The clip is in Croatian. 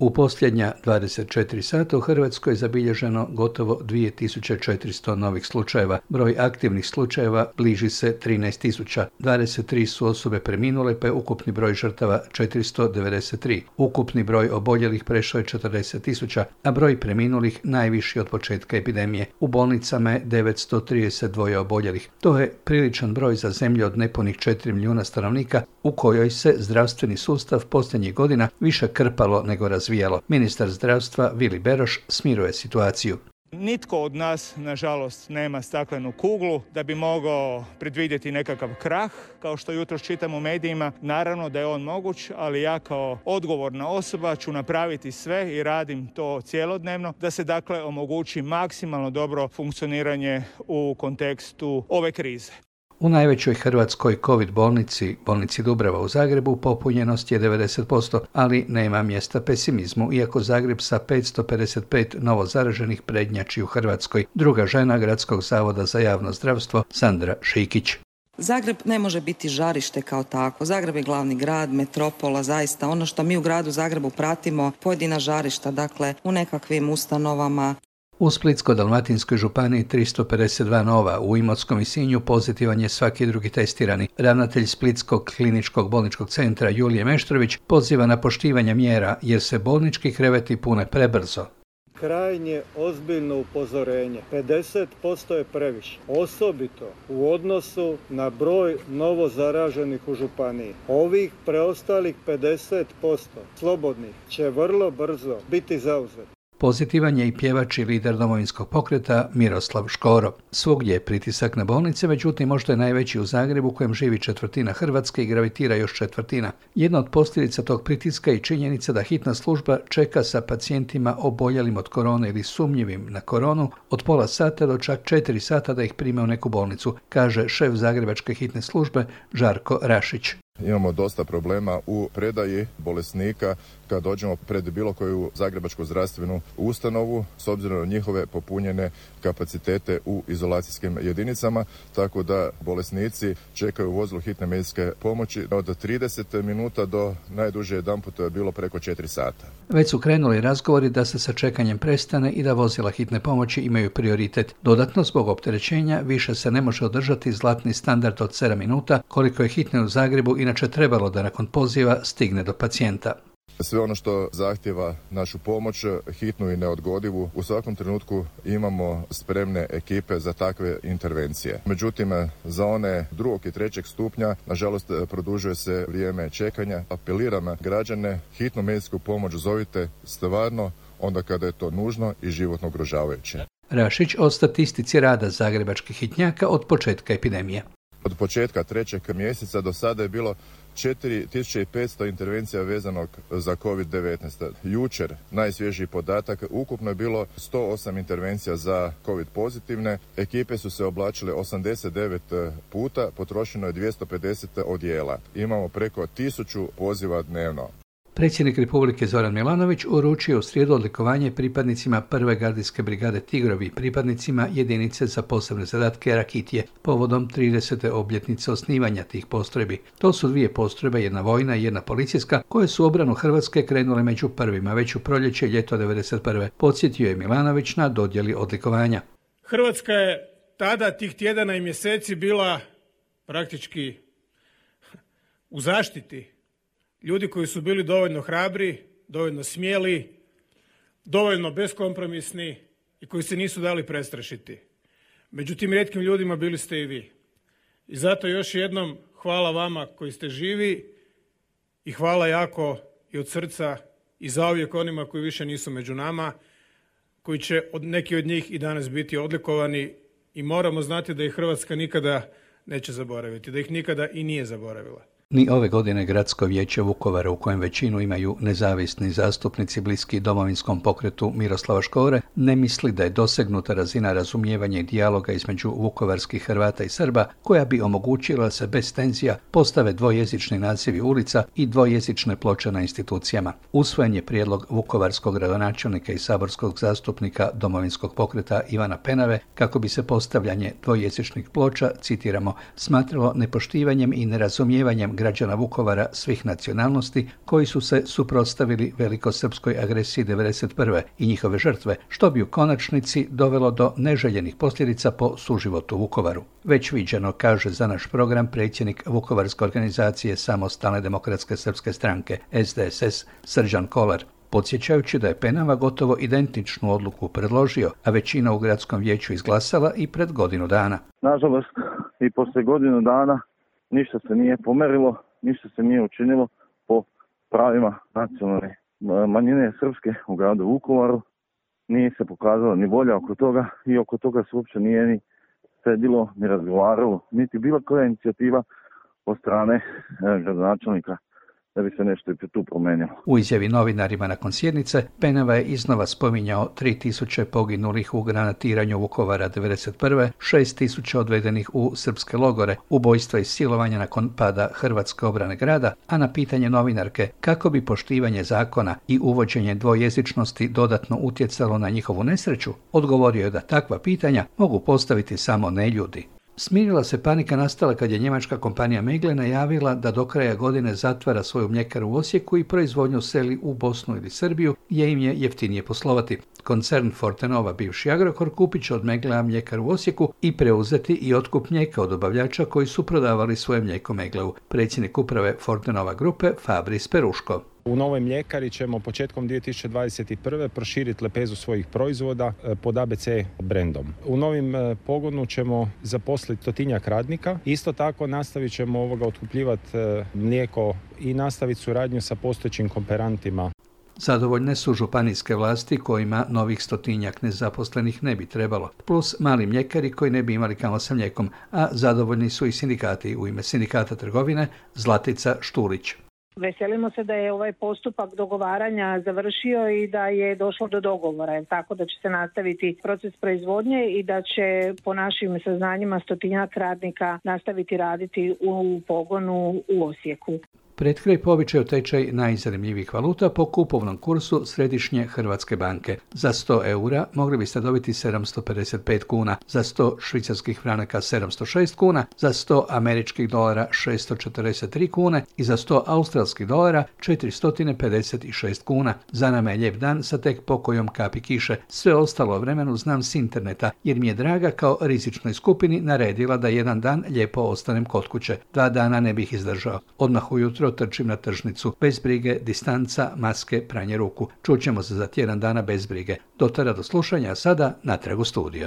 U posljednja 24 sata u Hrvatskoj je zabilježeno gotovo 2400 novih slučajeva. Broj aktivnih slučajeva bliži se 13.000. 23 su osobe preminule, pa je ukupni broj žrtava 493. Ukupni broj oboljelih prešao je 40.000, a broj preminulih najviši od početka epidemije. U bolnicama je 932 oboljelih. To je priličan broj za zemlju od nepunih 4 milijuna stanovnika, u kojoj se zdravstveni sustav posljednjih godina više krpalo nego razvijalo. Ministar zdravstva Vili Beroš smiruje situaciju. Nitko od nas, nažalost, nema staklenu kuglu da bi mogao predvidjeti nekakav krah, kao što jutros čitam u medijima. Naravno da je on moguć, ali ja kao odgovorna osoba ću napraviti sve i radim to cjelodnevno da se dakle omogući maksimalno dobro funkcioniranje u kontekstu ove krize. U najvećoj hrvatskoj COVID bolnici Dubrava u Zagrebu, popunjenost je 90%, ali nema mjesta pesimizmu, iako Zagreb sa 555 novo zaraženih prednjači u Hrvatskoj. Druga žena Gradskog zavoda za javno zdravstvo, Sandra Šikić. Zagreb ne može biti žarište kao tako. Zagreb je glavni grad, metropola, zaista ono što mi u gradu Zagrebu pratimo, pojedina žarišta, dakle u nekakvim ustanovama. U Splitsko-dalmatinskoj županiji 352 nova, u Imotskom i Sinju pozitivan je svaki drugi testirani. Ravnatelj Splitskog kliničkog bolničkog centra Julije Meštrović poziva na poštivanje mjera jer se bolnički kreveti pune prebrzo. Krajnje ozbiljno upozorenje. 50% je previše. Osobito u odnosu na broj novo zaraženih u županiji. Ovih preostalih 50% slobodnih će vrlo brzo biti zauzeti. Pozitivan je i pjevač i lider Domovinskog pokreta Miroslav Škoro. Svugdje je pritisak na bolnice, međutim možda je najveći u Zagrebu, u kojem živi četvrtina Hrvatske i gravitira još četvrtina. Jedna od posljedica tog pritiska je činjenica da hitna služba čeka sa pacijentima oboljelim od korone ili sumnjivim na koronu od pola sata do čak 4 sata da ih prime u neku bolnicu, kaže šef Zagrebačke hitne službe Žarko Rašić. Imamo dosta problema u predaji bolesnika kad dođemo pred bilo koju zagrebačku zdravstvenu ustanovu s obzirom na njihove popunjene kapacitete u izolacijskim jedinicama, tako da bolesnici čekaju u vozilu hitne medicinske pomoći od 30 minuta do najduže jedanput je bilo preko 4 sata. Već su krenuli razgovori da se sa čekanjem prestane i da vozila hitne pomoći imaju prioritet. Dodatno, zbog opterećenja, više se ne može održati zlatni standard od 7 minuta, koliko je hitne u Zagrebu inače trebalo da nakon poziva stigne do pacijenta. Sve ono što zahtjeva našu pomoć, hitnu i neodgodivu, u svakom trenutku imamo spremne ekipe za takve intervencije. Međutim, za one drugog i trećeg stupnja, nažalost, produžuje se vrijeme čekanja. Apeliram građane, hitnu medicinsku pomoć zovite stvarno onda kada je to nužno i životno ugrožavajuće. Rašić o statistici rada zagrebačkih hitnjaka od početka epidemije. Od početka 3. mjeseca do sada je bilo 4500 intervencija vezanog za COVID-19. Jučer, najsvježiji podatak, ukupno je bilo 108 intervencija za COVID pozitivne. Ekipe su se oblačile 89 puta, potrošeno je 250 odijela. Imamo preko 1000 poziva dnevno. Predsjednik Republike Zoran Milanović uručio u srijedu odlikovanje pripadnicima prve gardijske brigade Tigrovi, pripadnicima jedinice za posebne zadatke Rakitije, povodom 30. obljetnice osnivanja tih postrojbi. To su 2 postrojbe, jedna vojna i jedna policijska, koje su u obranu Hrvatske krenule među prvima, već u proljeće i ljeto 1991. Podsjetio je Milanović na dodjeli odlikovanja. Hrvatska je tada tih tjedana i mjeseci bila praktički u zaštiti ljudi koji su bili dovoljno hrabri, dovoljno smjeli, dovoljno beskompromisni i koji se nisu dali prestrašiti. Među tim rijetkim ljudima bili ste i vi. I zato još jednom hvala vama koji ste živi i hvala jako i od srca i zauvijek onima koji više nisu među nama, koji će neki od njih i danas biti odlikovani i moramo znati da ih Hrvatska nikada neće zaboraviti, da ih nikada i nije zaboravila. Ni ove godine Gradsko vijeće Vukovara, u kojem većinu imaju nezavisni zastupnici bliski Domovinskom pokretu Miroslava Škore, ne misli da je dosegnuta razina razumijevanja i dijaloga između vukovarskih Hrvata i Srba, koja bi omogućila da se bez tenzija postave dvojezični nazivi ulica i dvojezične ploče na institucijama. Usvojen je prijedlog vukovarskog gradonačelnika i saborskog zastupnika Domovinskog pokreta Ivana Penave kako bi se postavljanje dvojezičnih ploča, citiramo, smatralo nepoštivanjem i nerazumijevanjem građana Vukovara svih nacionalnosti koji su se suprotstavili velikosrpskoj agresiji 1991. i njihove žrtve, što bi u konačnici dovelo do neželjenih posljedica po suživot u Vukovaru. Već viđeno, kaže za naš program predsjednik Vukovarske organizacije Samostalne demokratske srpske stranke SDSS Srđan Kolar, podsjećajući da je Penava gotovo identičnu odluku predložio, a većina u gradskom vijeću izglasala i pred godinu dana. Nažalost, i poslije godinu dana ništa se nije pomerilo, ništa se nije učinilo po pravima nacionalne manjine srpske u gradu Vukovaru. Nije se pokazala ni volja oko toga i oko toga se uopće nije ni sedilo, ni razgovaralo, niti bila koja inicijativa od strane gradonačelnika da bi se nešto i tu promenilo. U izjavi novinarima nakon sjednice, Penava je iznova spominjao 3000 poginulih u granatiranju Vukovara 1991., 6000 odvedenih u srpske logore, ubojstva i silovanja nakon pada Hrvatske obrane grada, a na pitanje novinarke kako bi poštivanje zakona i uvođenje dvojezičnosti dodatno utjecalo na njihovu nesreću, odgovorio je da takva pitanja mogu postaviti samo neljudi. Smirila se panika nastala kad je njemačka kompanija Meggle najavila da do kraja godine zatvara svoju mljekaru u Osijeku i proizvodnju seli u Bosnu ili Srbiju, gdje im je jeftinije poslovati. Koncern Fortenova, bivši Agrokor, kupit će od Megglea mljekaru u Osijeku i preuzeti i otkup mlijeka od dobavljača koji su prodavali svoje mlijeko Meggleu. Predsjednik uprave Fortenova grupe Fabris Peruško. U novoj mljekari ćemo početkom 2021. proširiti lepezu svojih proizvoda pod ABC brendom. U novim pogonu ćemo zaposliti 100-tinjak radnika. Isto tako nastavit ćemo otkupljivati mlijeko i nastaviti suradnju sa postojećim kooperantima. Zadovoljne su županijske vlasti kojima novih 100-tinjak nezaposlenih ne bi trebalo, plus mali mljekari koji ne bi imali kamo sa mlijekom, a zadovoljni su i sindikati. U ime Sindikata trgovine Zlatica Štulić. Veselimo se da je ovaj postupak dogovaranja završio i da je došlo do dogovora, tako da će se nastaviti proces proizvodnje i da će po našim saznanjima 100-tinjak radnika nastaviti raditi u pogonu u Osijeku. Pred kraj po običaju tečaj najzanimljivijih valuta po kupovnom kursu Središnje Hrvatske banke. Za 100 eura mogli biste dobiti 755 kuna, za 100 švicarskih franaka 706 kuna, za 100 američkih dolara 643 kune i za 100 australskih dolara 456 kuna. Za nama je lijep dan sa tek pokojom kapi kiše. Sve ostalo o vremenu znam s interneta, jer mi je draga kao rizičnoj skupini naredila da jedan dan lijepo ostanem kod kuće. 2 dana ne bih izdržao. Odmah ujutro trčim na tržnicu. Bez brige, distanca, maske, pranje ruku. Čućemo se za tjedan dana bez brige. Do tada do slušanja, a sada natrag u studio.